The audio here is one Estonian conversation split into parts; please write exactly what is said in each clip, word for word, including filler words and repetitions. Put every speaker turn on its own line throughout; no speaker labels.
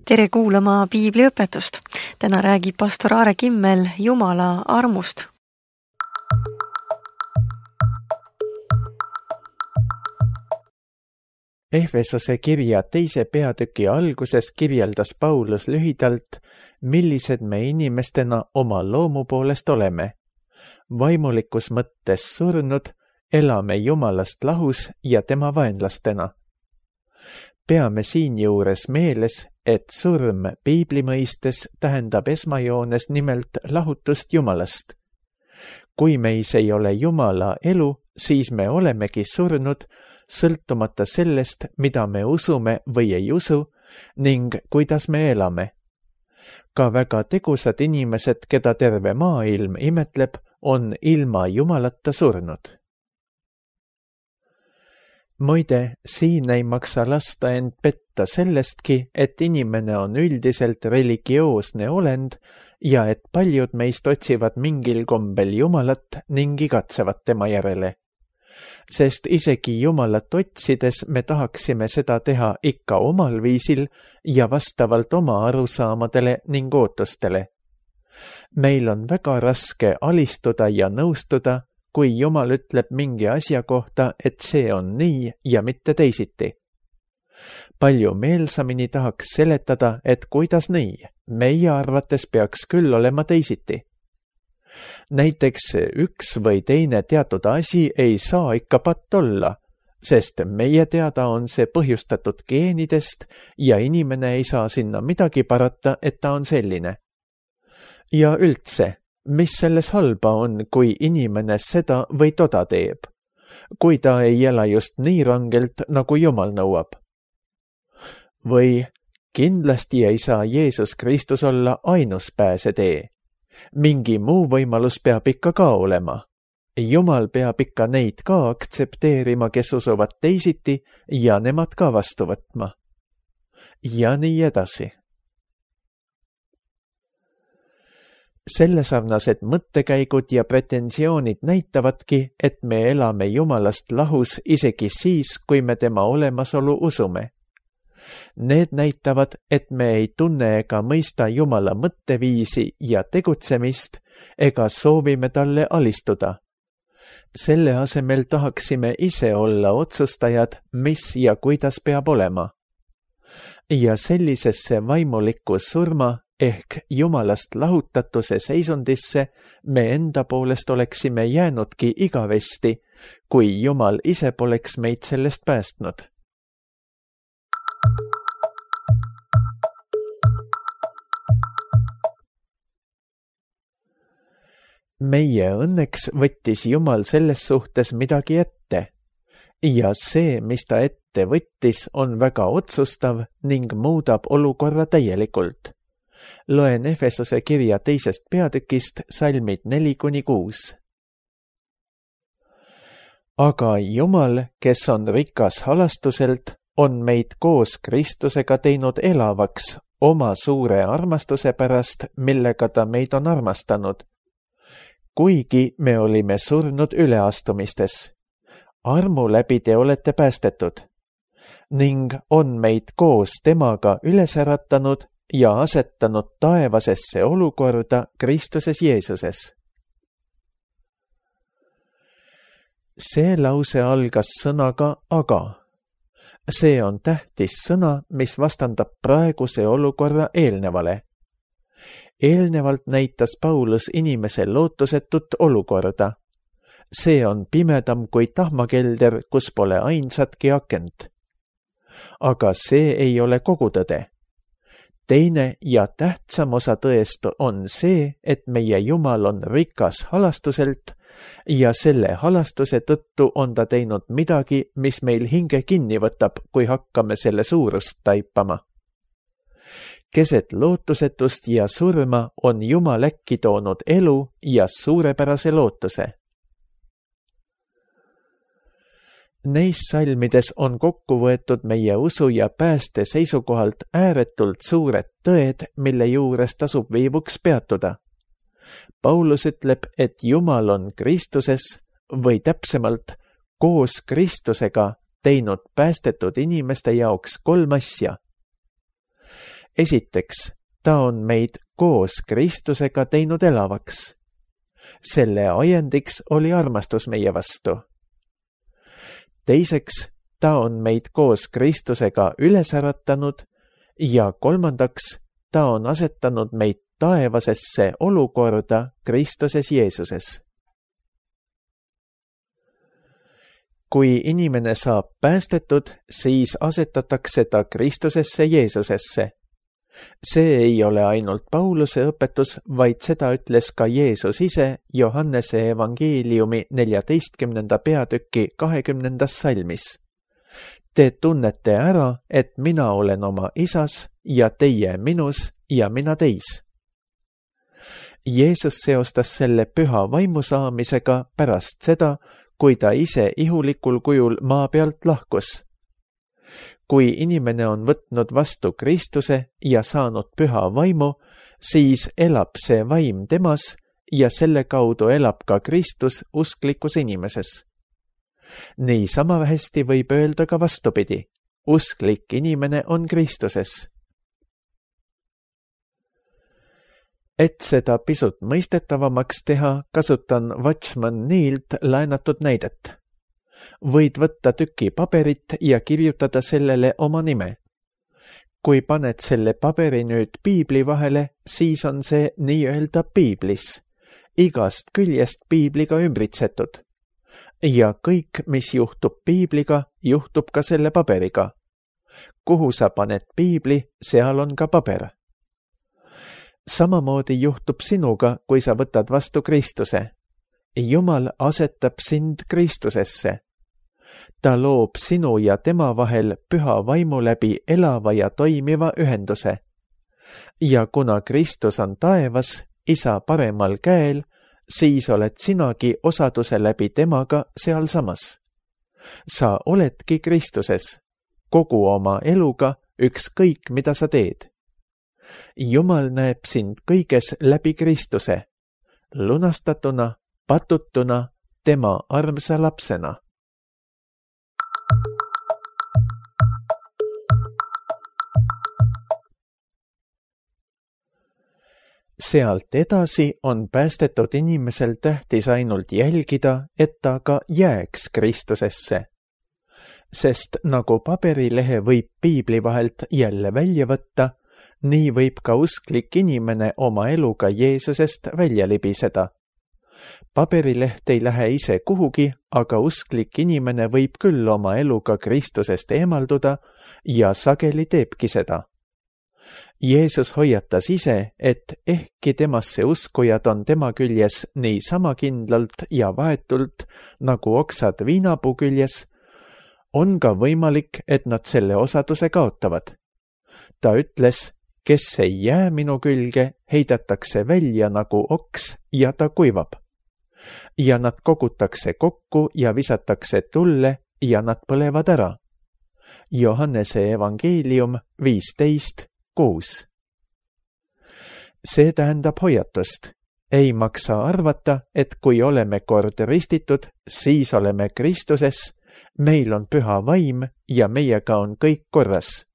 Tere kuulama piibliõpetust. Täna räägib pastor Aare Kimmel Jumala armust.
Efesose kirja teise peatüki alguses kirjeldas Paulus lühidalt, millised me inimestena oma loomu poolest oleme. Vaimulikus mõttes surnud, elame Jumalast lahus ja tema vaenlastena. Peame siinjuures meeles, et surm piibli mõistes tähendab esmajoones nimelt lahutust Jumalast. Kui meis ei ole Jumala elu, siis me olemegi surnud, sõltumata sellest, mida me usume või ei usu ning kuidas me elame. Ka väga tegusad inimesed, keda terve maailm imetleb, on ilma Jumalata surnud. Muide, siin ei maksa lasta end petta sellestki, et inimene on üldiselt religioosne olend ja et paljud meist otsivad mingil kombel Jumalat ning igatsevad tema järele. Sest isegi Jumalat otsides me tahaksime seda teha ikka omal viisil ja vastavalt oma arusaamadele ning ootustele. Meil on väga raske alistuda ja nõustuda, kui Jumal ütleb mingi asja kohta, et see on nii ja mitte teisiti. Palju meelsamini tahaks seletada, et kuidas nii, meie arvates peaks küll olema teisiti. Näiteks üks või teine teatud asi ei saa ikka patt olla, sest meie teada on see põhjustatud geenidest ja inimene ei saa sinna midagi parata, et ta on selline. Ja üldse, mis selles halba on, kui inimene seda või toda teeb, kui ta ei ela just nii rangelt, nagu Jumal nõuab? Või kindlasti ei saa Jeesus Kristus olla ainus pääsetee. Mingi muu võimalus peab ikka ka olema. Jumal peab ikka neid ka aktsepteerima, kes usuvad teisiti ja nemad ka vastu võtma. Ja nii edasi. Sellesarnased mõttekäigud ja pretensioonid näitavadki, et me elame Jumalast lahus isegi siis, kui me tema olemasolu usume. Need näitavad, et me ei tunne ega mõista Jumala mõtteviisi ja tegutsemist ega soovime talle alistuda. Selle asemel tahaksime ise olla otsustajad, mis ja kuidas peab olema. Ja sellisesse vaimuliku surma ehk Jumalast lahutatuse seisundisse me enda poolest oleksime jäänudki igavesti, kui Jumal ise poleks meid sellest päästnud. Meie õnneks võttis Jumal selles suhtes midagi ette ja see, mis ta ette võttis, on väga otsustav ning muudab olukorra täielikult. Loen Efesose kirja teisest peatükist salmid neli kuni kuus. Aga Jumal, kes on rikas halastuselt, on meid koos Kristusega teinud elavaks oma suure armastuse pärast, millega ta meid on armastanud. Kuigi me olime surnud üleastumistes. Armu läbi te olete päästetud ning on meid koos temaga üles äratanud ja asetanud taevasesse olukorda Kristuses Jeesuses. See lause algas sõnaga aga. See on tähtis sõna, mis vastandab praeguse olukorra eelnevale. Eelnevalt näitas Paulus inimese lootusetut olukorda. See on pimedam kui tahmakelder, kus pole ainsatki akent. Aga see ei ole kogu tõde. Teine ja tähtsam osa tõest on see, et meie Jumal on rikas halastuselt ja selle halastuse tõttu on ta teinud midagi, mis meil hinge kinni võtab, kui hakkame selle suurust taipama. Keset lootusetust ja surma on Jumal äkki toonud elu ja suurepärase lootuse. Neis salmides on kokku võetud meie usu ja pääste seisukohalt ääretult suured tõed, mille juures tasub viivuks peatuda. Paulus ütleb, et Jumal on Kristuses või täpsemalt koos Kristusega teinud päästetud inimeste jaoks kolm asja. Esiteks, ta on meid koos Kristusega teinud elavaks. Selle ajendiks oli armastus meie vastu. Teiseks, ta on meid koos Kristusega üles äratanud ja kolmandaks, ta on asetanud meid taevasesse olukorda Kristuses Jeesuses. Kui inimene saab päästetud, siis asetatakse ta Kristusesse Jeesusesse. See ei ole ainult Pauluse õpetus, vaid seda ütles ka Jeesus ise Johannese evangeeliumi neljateistkümnenda peatüki kahekümnendas salmis. Te tunnete ära, et mina olen oma isas ja teie minus ja mina teis. Jeesus seostas selle püha vaimu saamisega pärast seda, kui ta ise ihulikul kujul maa pealt lahkus. Kui inimene on võtnud vastu Kristuse ja saanud püha vaimu, siis elab see vaim temas ja selle kaudu elab ka Kristus usklikus inimeses. Nii sama hästi võib öelda ka vastupidi. Usklik inimene on Kristuses. Et seda pisut mõistetavamaks teha, kasutan Watchman Neelt laenatud näidet. Võid võtta tüki paberit ja kirjutada sellele oma nime. Kui paned selle paberi nüüd piibli vahele, siis on see nii-öelda piiblis, igast küljest piibliga ümbritsetud. Ja kõik, mis juhtub piibliga, juhtub ka selle paberiga. Kuhu sa paned piibli, seal on ka paber. Samamoodi juhtub sinuga, kui sa võtad vastu Kristuse. Jumal asetab sind Kristusesse. Ta loob sinu ja tema vahel püha vaimu läbi elava ja toimiva ühenduse. Ja kuna Kristus on taevas, isa paremal käel, siis oled sinagi osaduse läbi temaga sealsamas. Sa oledki Kristuses, kogu oma eluga, ükskõik mida sa teed. Jumal näeb sind kõiges läbi Kristuse, lunastatuna, patutuna, tema armsa lapsena. Sealt edasi on päästetud inimesel tähtis ainult jälgida, et ta ka jääks Kristusesse. Sest nagu paberilehe võib piibli vahelt jälle välja võtta, nii võib ka usklik inimene oma eluga Jeesusest välja libiseda. Paberileht ei lähe ise kuhugi, aga usklik inimene võib küll oma eluga Kristusest eemalduda ja sageli teebki seda. Jeesus hoiatas ise, et ehkki temasse uskujad on tema küljes nii sama kindlalt ja vahetult nagu oksad viinapuu küljes, on ka võimalik, et nad selle osaduse kaotavad. Ta ütles, kes ei jää minu külge, heidetakse välja nagu oks ja ta kuivab. Ja nad kogutakse kokku ja visatakse tulle ja nad põlevad ära. Johannese evangeelium viisteist kuus. See tähendab hoiatust. Ei maksa arvata, et kui oleme kord ristitud, siis oleme Kristuses, meil on püha vaim ja meiega on kõik korras.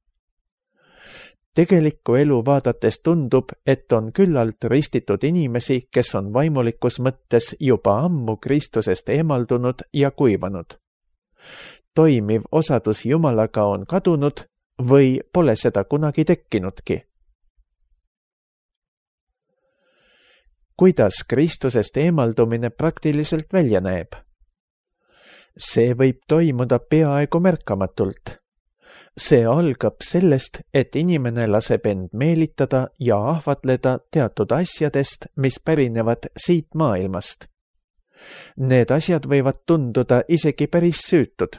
Tegelikku elu vaadates tundub, et on küllalt ristitud inimesi, kes on vaimulikus mõttes juba ammu Kristusest eemaldunud ja kuivanud. Toimiv osadus Jumalaga on kadunud või pole seda kunagi tekkinudki. Kuidas Kristusest eemaldumine praktiliselt välja näeb? See võib toimuda peaaegu märkamatult. See algab sellest, et inimene laseb end meelitada ja ahvatleda teatud asjadest, mis pärinevad siit maailmast. Need asjad võivad tunduda isegi päris süütud.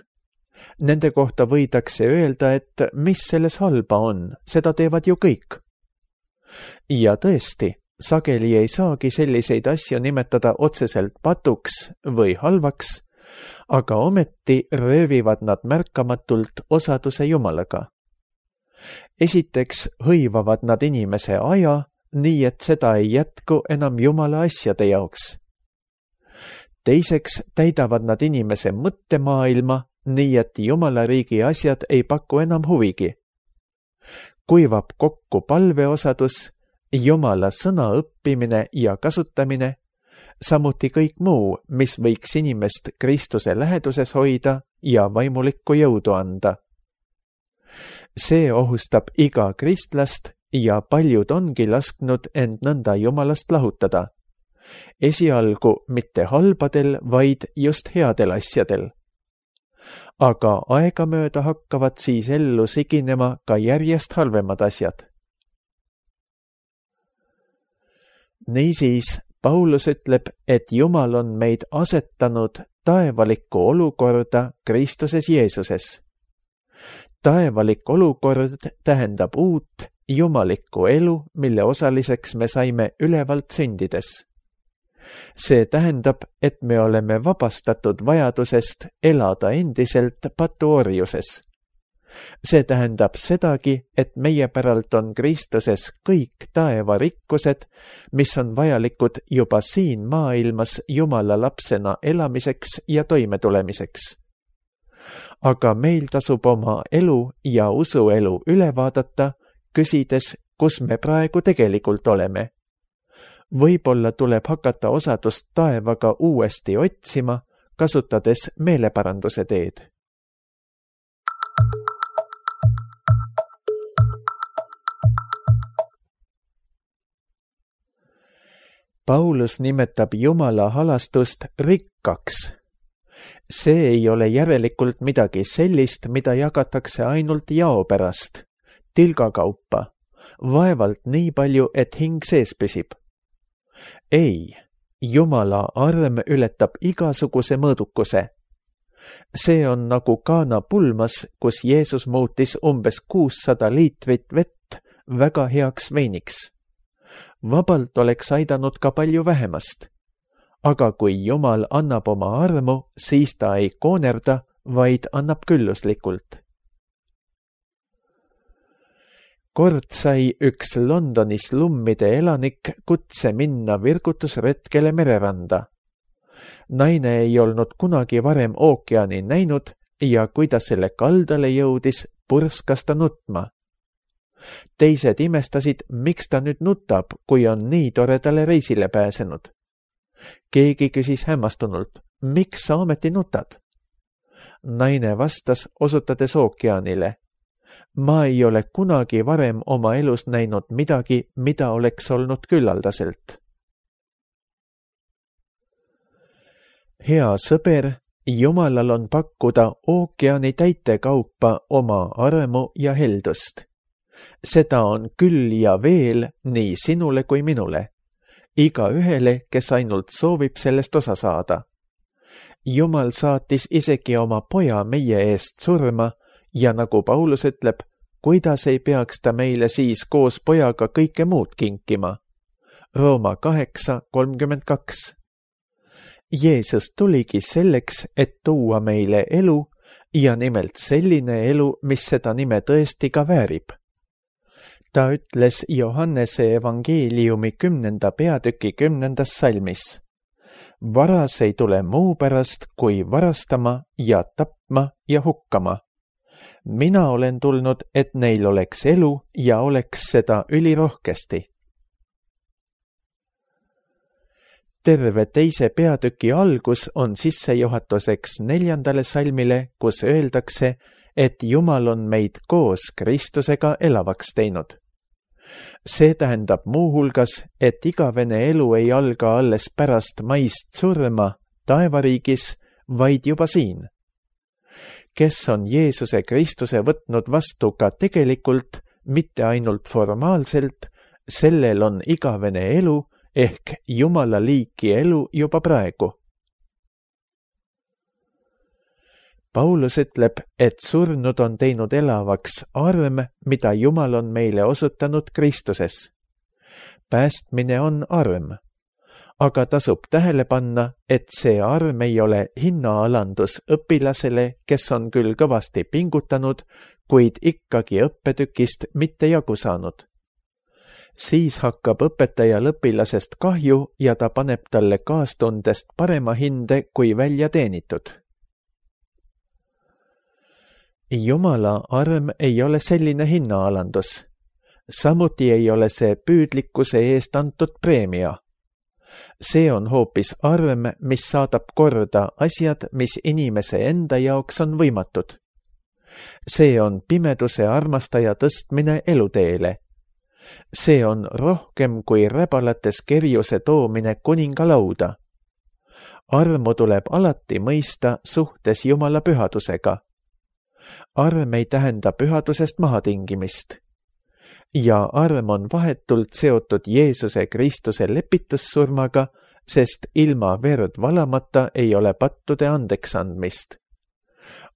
Nende kohta võidakse öelda, et mis selles halba on, seda teevad ju kõik. Ja tõesti, sageli ei saagi selliseid asju nimetada otseselt patuks või halvaks, aga ometi röövivad nad märkamatult osaduse Jumalaga. Esiteks hõivavad nad inimese aja, nii et seda ei jätku enam Jumala asjade jaoks. Teiseks täidavad nad inimese mõttemaailma, nii et Jumala riigi asjad ei paku enam huvigi. kuivab kokku palveosadus, Jumala sõna õppimine ja kasutamine, samuti kõik muu, mis võiks inimest Kristuse läheduses hoida ja vaimulikku jõudu anda. See ohustab iga kristlast ja paljud ongi lasknud end nõnda Jumalast lahutada. Esialgu mitte halbadel, vaid just headel asjadel. Aga aegamööda hakkavad siis ellu siginema ka järjest halvemad asjad. Niisiis, Paulus ütleb, et Jumal on meid asetanud taevalikku olukorda Kristuses Jeesuses. Taevalik olukord tähendab uut, jumalikku elu, mille osaliseks me saime ülevalt sündides. See tähendab, et me oleme vabastatud vajadusest elada endiselt patuorjuses. See tähendab sedagi, et meie päralt on Kristuses kõik taeva rikkused, mis on vajalikud juba siin maailmas Jumala lapsena elamiseks ja toimetulemiseks. Aga meil tasub oma elu ja usuelu üle vaadata, küsides, kus me praegu tegelikult oleme. Võib-olla tuleb hakata osadust taevaga uuesti otsima, kasutades meeleparanduse teed. Paulus nimetab Jumala halastust rikkaks. See ei ole järelikult midagi sellist, mida jagatakse ainult jao pärast, tilgakaupa, vaevalt nii palju, et hing sees püsib. Ei, Jumala arm ületab igasuguse mõõdukuse. See on nagu Kaana pulmas, kus Jeesus muutis umbes kuussada liitrit vett väga heaks veiniks. Vabalt oleks aidanud ka palju vähemast. Aga kui Jumal annab oma armu, siis ta ei koonerda, vaid annab külluslikult. Kord sai üks Londonis lummide elanik kutse minna virgutusretkele mereranda. Naine ei olnud kunagi varem ookeani näinud ja kui ta selle kaldale jõudis, purskas ta nutma. Teised imestasid, miks ta nüüd nutab, kui on nii toredale reisile pääsenud. Keegi küsis hämmastunult, miks sa ometi nutad? Naine vastas, osutades ookeanile. Ma ei ole kunagi varem oma elus näinud midagi, mida oleks olnud küllaldaselt. Hea sõber, Jumalal on pakkuda ookeani täitekaupa oma armu ja heldust. Seda on küll ja veel nii sinule kui minule. Iga ühele, kes ainult soovib sellest osa saada. Jumal saatis isegi oma poja meie eest surma ja nagu Paulus ütleb, kuidas ei peaks ta meile siis koos pojaga kõike muud kinkima. Rooma kaheksa kolmkümmend kaks. Jeesus tuligi selleks, et tuua meile elu ja nimelt selline elu, mis seda nime tõesti ka väärib. Ta ütles Johannese evangeeliumi kümnenda peatüki kümnendas salmis. Varas ei tule muu pärast, kui varastama ja tapma ja hukkama. Mina olen tulnud, et neil oleks elu ja oleks seda ülirohkesti. Terve teise peatüki algus on sissejuhatuseks neljandale salmile, kus öeldakse, et Jumal on meid koos Kristusega elavaks teinud. See tähendab muuhulgas, et igavene elu ei alga alles pärast maist surma taevariigis, vaid juba siin. Kes on Jeesuse Kristuse võtnud vastu ka tegelikult, mitte ainult formaalselt, sellel on igavene elu ehk Jumala liiki elu juba praegu. Paulus ütleb, et surnud on teinud elavaks arm, mida Jumal on meile osutanud Kristuses. Päästmine on arm, aga tasub tähele panna, et see arm ei ole hinnaalandus õpilasele, kes on küll kõvasti pingutanud, kuid ikkagi õppetükist mitte jagu saanud. Siis hakkab õpetajal õpilasest kahju ja ta paneb talle kaastundest parema hinde kui välja teenitud. Jumala arm ei ole selline hinnaalandus. samuti ei ole see püüdlikkuse eest antud preemia. See on hoopis arm, mis saadab korda asjad, mis inimese enda jaoks on võimatud. See on pimeduse armastaja tõstmine eluteele. See on rohkem kui räbalates kerjuse toomine kuningalauda. Armu tuleb alati mõista suhtes Jumala pühadusega. Arm ei tähenda pühadusest mahatingimist. Ja arm on vahetult seotud Jeesuse Kristuse lepitussurmaga, sest ilma verd valamata ei ole pattude andeksandmist.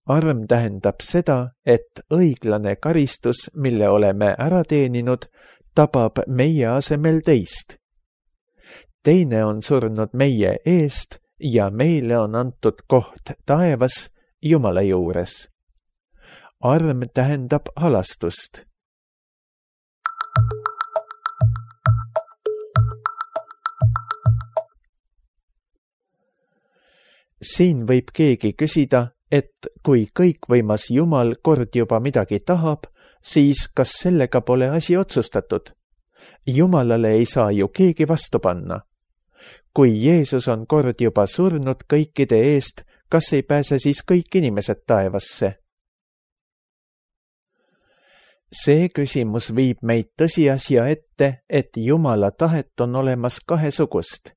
Arm tähendab seda, et õiglane karistus, mille oleme ära teeninud, tabab meie asemel teist. Teine on surnud meie eest ja meile on antud koht taevas Jumala juures. Arm tähendab halastust. Siin võib keegi küsida, et kui kõikvõimas Jumal kord juba midagi tahab, siis kas sellega pole asi otsustatud? Jumalale ei saa ju keegi vastu panna. Kui Jeesus on kord juba surnud kõikide eest, kas ei pääse siis kõik inimesed taevasse? See küsimus viib meid tõsiasja ette, et Jumala tahet on olemas kahesugust.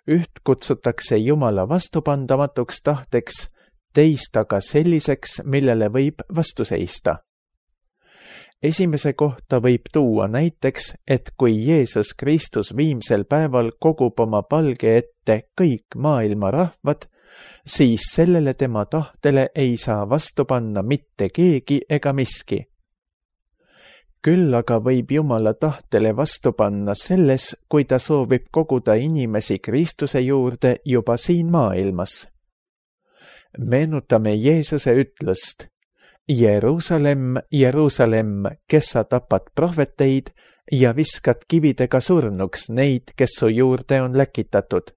Üht kutsutakse Jumala vastupandamatuks tahteks, teist aga selliseks, millele võib vastu seista. Esimese kohta võib tuua näiteks, et kui Jeesus Kristus viimsel päeval kogub oma palge ette kõik maailma rahvad, siis sellele tema tahtele ei saa vastu panna mitte keegi ega miski. Küll aga võib Jumala tahtele vastu panna selles, kui ta soovib koguda inimesi Kristuse juurde juba siin maailmas. Meenutame Jeesuse ütlust: Jeruusalemm, Jeruusalemm, kes sa tapad prohveteid ja viskad kividega surnuks neid, kes su juurde on läkitatud.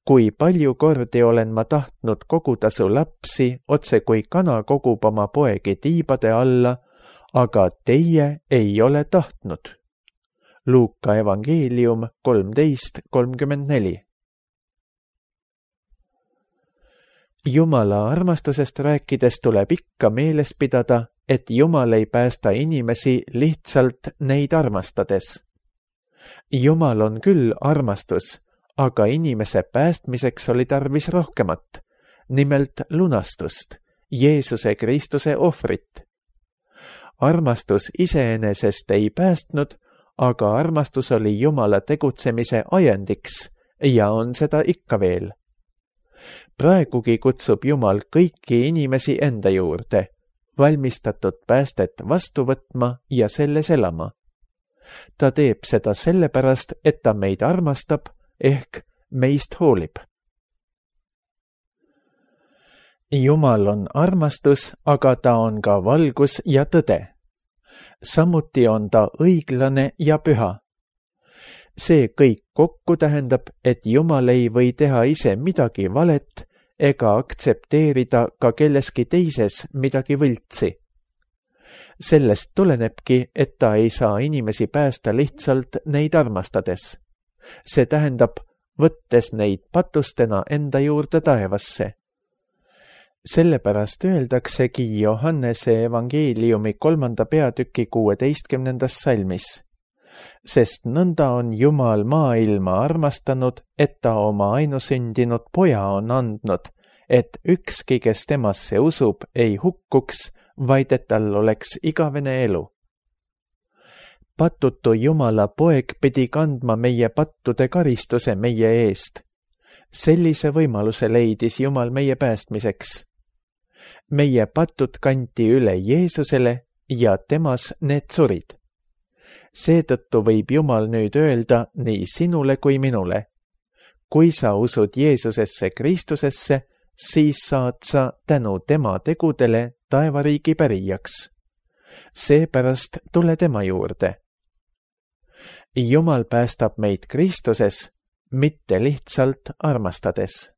Kui palju kordi olen ma tahtnud koguda su lapsi, otse kui kana kogub oma poegi tiibade alla, aga teie ei ole tahtnud. Luuka evangeelium kolmteist kolmkümmend neli. Jumala armastusest rääkides tuleb ikka meeles pidada, et Jumal ei päästa inimesi lihtsalt neid armastades. Jumal on küll armastus, aga inimese päästmiseks oli tarvis rohkemat, nimelt lunastust, Jeesuse Kristuse ohvrit. Armastus iseenesest ei päästnud, aga armastus oli Jumala tegutsemise ajendiks ja on seda ikka veel. Praegugi kutsub Jumal kõiki inimesi enda juurde, valmistatud päästet vastu võtma ja selles elama. Ta teeb seda sellepärast, et ta meid armastab ehk meist hoolib. Jumal on armastus, aga ta on ka valgus ja tõde. Samuti on ta õiglane ja püha. See kõik kokku tähendab, et Jumal ei või teha ise midagi valet ega aktsepteerida ka kelleski teises midagi võltsi. Sellest tulenebki, et ta ei saa inimesi päästa lihtsalt neid armastades. See tähendab, võttes neid patustena enda juurde taevasse. Sellepärast öeldaksegi Johannese evangeeliumi kolmanda peatüki kuueteistkümnendas salmis. Sest nõnda on Jumal maailma armastanud, et ta oma ainusündinud poja on andnud, et ükski, kes temasse usub, ei hukkuks, vaid et tal oleks igavene elu. Patutu Jumala poeg pidi kandma meie pattude karistuse meie eest. Sellise võimaluse leidis Jumal meie päästmiseks. Meie patud kanti üle Jeesusele ja temas need surid. Seetõttu võib Jumal nüüd öelda nii sinule kui minule. Kui sa usud Jeesusesse Kristusesse, siis saad sa tänu tema tegudele taevariigi pärijaks. Seepärast tule tema juurde. Jumal päästab meid Kristuses, mitte lihtsalt armastades.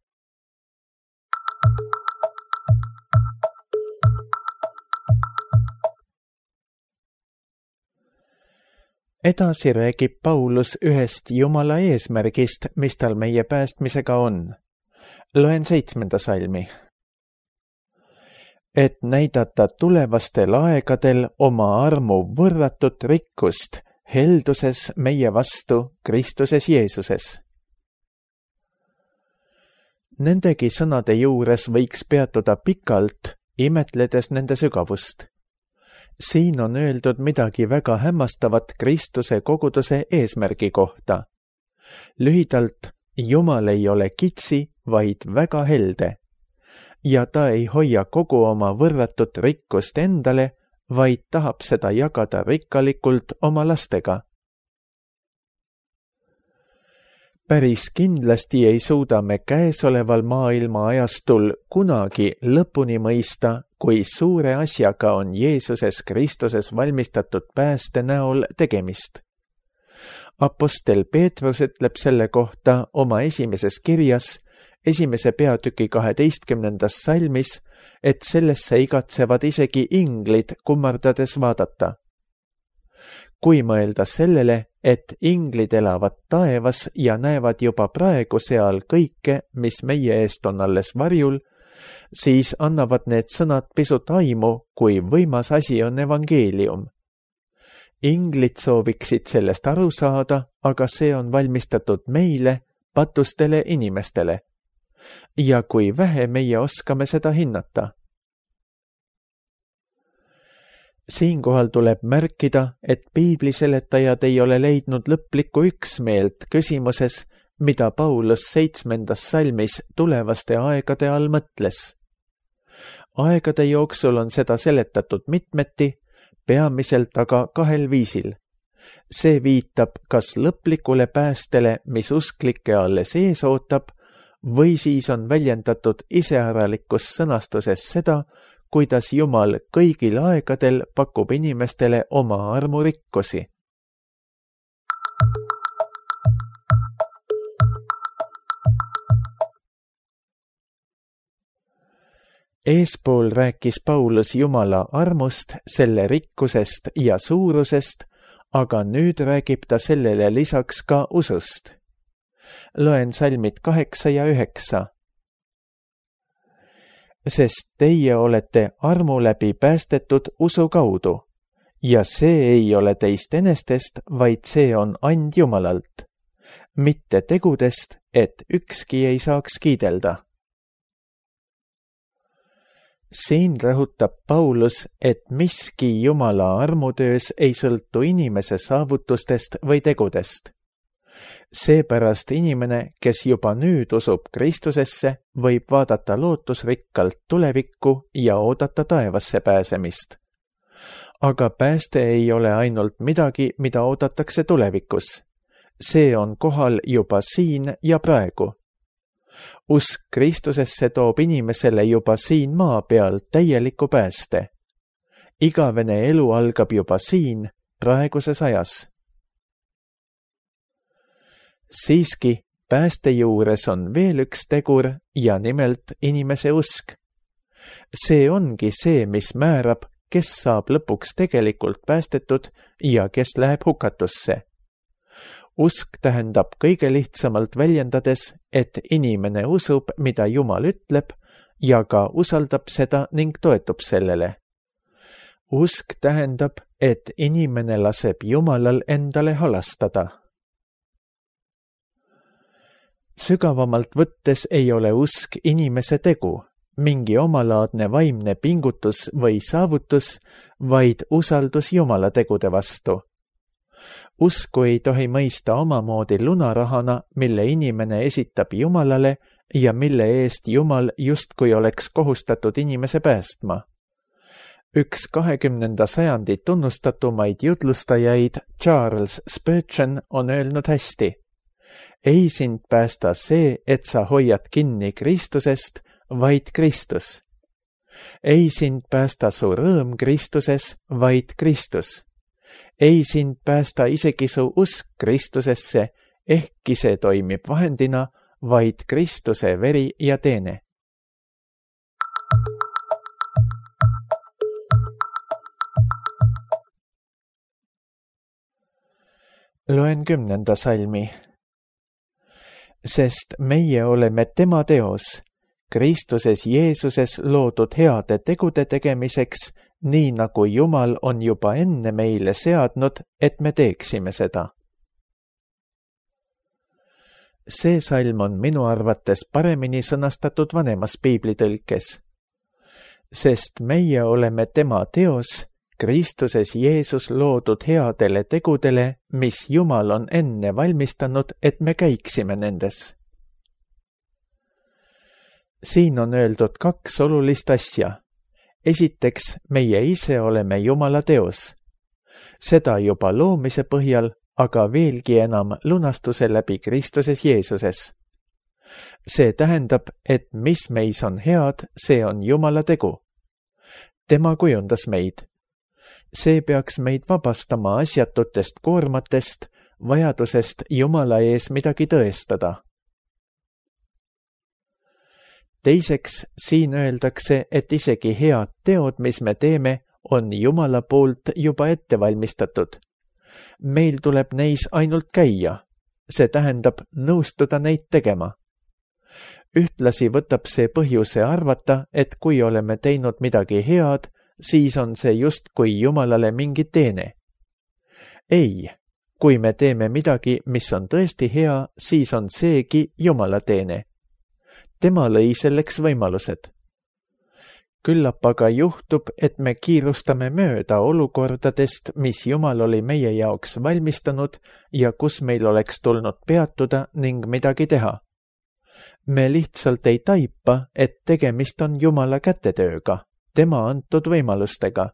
edasi räägib Paulus ühest Jumala eesmärgist, mis tal meie päästmisega on. Loen seitsmenda salmi. Et näidata tulevastel aegadel oma armu võrratut rikkust helduses meie vastu Kristuses Jeesuses. Nendegi sõnade juures võiks peatuda pikalt, imetledes nende sügavust. Siin on öeldud midagi väga hämmastavat Kristuse koguduse eesmärgi kohta. Lühidalt, Jumal ei ole kitsi, vaid väga helde. Ja ta ei hoia kogu oma võrratut rikkust endale, vaid tahab seda jagada rikkalikult oma lastega. Päris kindlasti ei suuda me käesoleval maailma ajastul kunagi lõpuni mõista, kui suure asjaga on Jeesuses Kristuses valmistatud pääste näol tegemist. Apostel Peetrus ütleb selle kohta oma esimeses kirjas, esimese peatüki kaheteistkümnendas salmis, et sellesse igatsevad isegi inglid kummardades vaadata. Kui mõelda sellele, et inglid elavad taevas ja näevad juba praegu seal kõike, mis meie eest on alles varjul, siis annavad need sõnad pisut aimu, kui võimas asi on evangeelium. Inglid sooviksid sellest aru saada, aga see on valmistatud meile, patustele inimestele. Ja kui vähe meie oskame seda hinnata. Siinkohal tuleb märkida, et piibliseletajad ei ole leidnud lõplikku üksmeelt küsimuses, mida Paulus seitsmendas salmis tulevaste aegade all mõtles. Aegade jooksul on seda seletatud mitmeti, peamiselt aga kahel viisil. See viitab kas lõplikule päästele, mis usklikke alles ees ootab, või siis on väljendatud iseäralikus sõnastuses seda, kuidas Jumal kõigil aegadel pakub inimestele oma armurikkusi. Eespool rääkis Paulus Jumala armust, selle rikkusest ja suurusest, aga nüüd räägib ta sellele lisaks ka usust. Loen salmid kaheksa ja üheksa. Sest teie olete armu läbi päästetud usu kaudu, ja see ei ole teist enestest, vaid see on and Jumalalt, mitte tegudest, et ükski ei saaks kiidelda. Siin rõhutab Paulus, et miski Jumala armutöös ei sõltu inimese saavutustest või tegudest. Seepärast inimene, kes juba nüüd usub Kristusesse, võib vaadata lootusrikkalt tulevikku ja oodata taevasse pääsemist. Aga pääste ei ole ainult midagi, mida oodatakse tulevikus. See on kohal juba siin ja praegu. Usk Kristusesse toob inimesele juba siin maa peal täieliku pääste. Igavene elu algab juba siin, praeguses ajas. Siiski, pääste juures on veel üks tegur ja nimelt inimese usk. See ongi see, mis määrab, kes saab lõpuks tegelikult päästetud ja kes läheb hukatusse. Usk tähendab kõige lihtsamalt väljendades, et inimene usub, mida Jumal ütleb ja ka usaldab seda ning toetub sellele. Usk tähendab, et inimene laseb Jumalal endale halastada. Sügavamalt võttes ei ole usk inimese tegu, mingi omalaadne vaimne pingutus või saavutus, vaid usaldus Jumala tegude vastu. Usku ei tohi mõista omamoodi lunarahana, mille inimene esitab Jumalale ja mille eest Jumal justkui oleks kohustatud inimese päästma. Üks kahekümnenda sajandi tunnustatumaid jutlustajaid Charles Spurgeon on öelnud hästi. Ei sind päästa see, et sa hoiad kinni Kristusest, vaid Kristus. Ei sind päästa su rõõm Kristuses, vaid Kristus. Ei sind päästa isegi su usk Kristusesse, ehkki see toimib vahendina, vaid Kristuse veri ja teene. Loen kümnenda salmi. Sest meie oleme tema teos, Kristuses Jeesuses loodud heade tegude tegemiseks, nii nagu Jumal on juba enne meile seadnud, et me teeksime seda. See salm on minu arvates paremini sõnastatud vanemas piiblitõlkes. Sest meie oleme tema teos, Kristuses Jeesus loodud headele tegudele, mis Jumal on enne valmistanud, et me käiksime nendes. Siin on öeldud kaks olulist asja. Esiteks, meie ise oleme Jumala teos. Seda juba loomise põhjal, aga veelgi enam lunastuse läbi Kristuses Jeesuses. See tähendab, et mis meis on head, see on Jumala tegu. Tema kujundas meid. See peaks meid vabastama asjatutest koormatest, vajadusest Jumala ees midagi tõestada. Teiseks, siin öeldakse, et isegi head teod, mis me teeme, on Jumala poolt juba ette valmistatud. Meil tuleb neis ainult käia. See tähendab nõustuda neid tegema. Ühtlasi võtab see põhjuse arvata, et kui oleme teinud midagi head, siis on see just kui Jumalale mingi teene. Ei, kui me teeme midagi, mis on tõesti hea, siis on seegi Jumala teene. Tema lõi selleks võimalused. Küllap aga juhtub, et me kiirustame mööda olukordadest, mis Jumal oli meie jaoks valmistanud ja kus meil oleks tulnud peatuda ning midagi teha. Me lihtsalt ei taipa, et tegemist on Jumala kätetööga, tema antud võimalustega.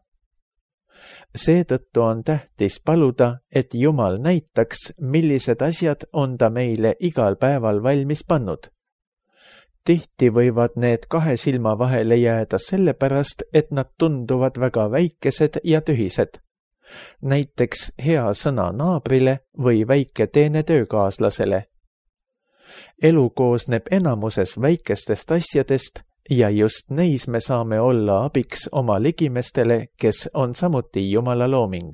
Seetõttu on tähtis paluda, et Jumal näitaks, millised asjad on ta meile igal päeval valmis pannud. Tihti võivad need kahe silma vahele jääda sellepärast, et nad tunduvad väga väikesed ja tühised. Näiteks hea sõna naabrile või väike teene töökaaslasele. Elu koosneb enamuses väikestest asjadest ja just neis me saame olla abiks oma ligimestele, kes on samuti Jumala looming.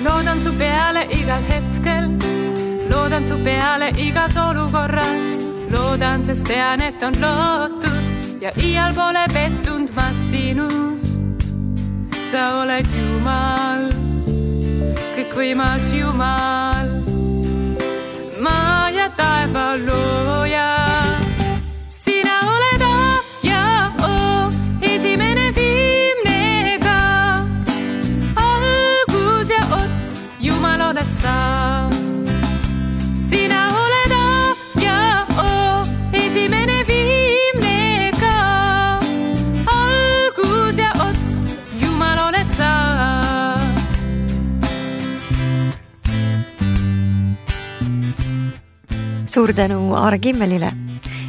Loodan su peale igal hetkel, loodan su peale igas olukorras, loodan, sest tean, et on lootust ja iial pole pettunud ma sinus. Sa oled Jumal, kõikvõimas Jumal, maa ja taeva looja. Sina oled A ja O, esimene viimne ka, algus ja ots, Jumal oled sa. Sina oled A ja O, esimene viimne ka, algus ja ots, Jumal oled sa.
Suur tänu Aare Kimmelile.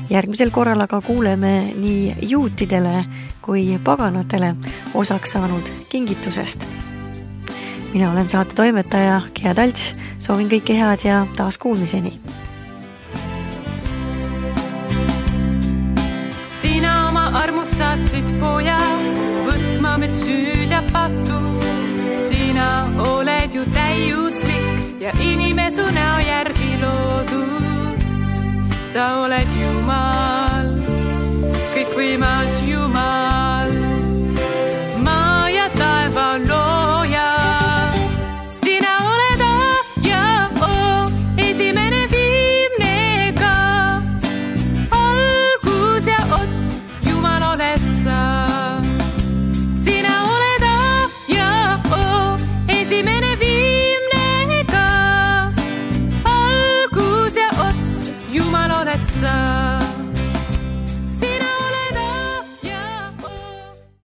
Järgmisel korral aga kuuleme nii juutidele kui paganatele osaks saanud kingitusest. Mina olen saate toimetaja Gea Talts, soovin kõike head ja taas kuulmiseni.
Sina oma armust saatsid poja, võtma meil süüd ja patu. Sina oled ju täiuslik ja inimesu näo järgi loodud. Sa oled Jumal, kõikvõimas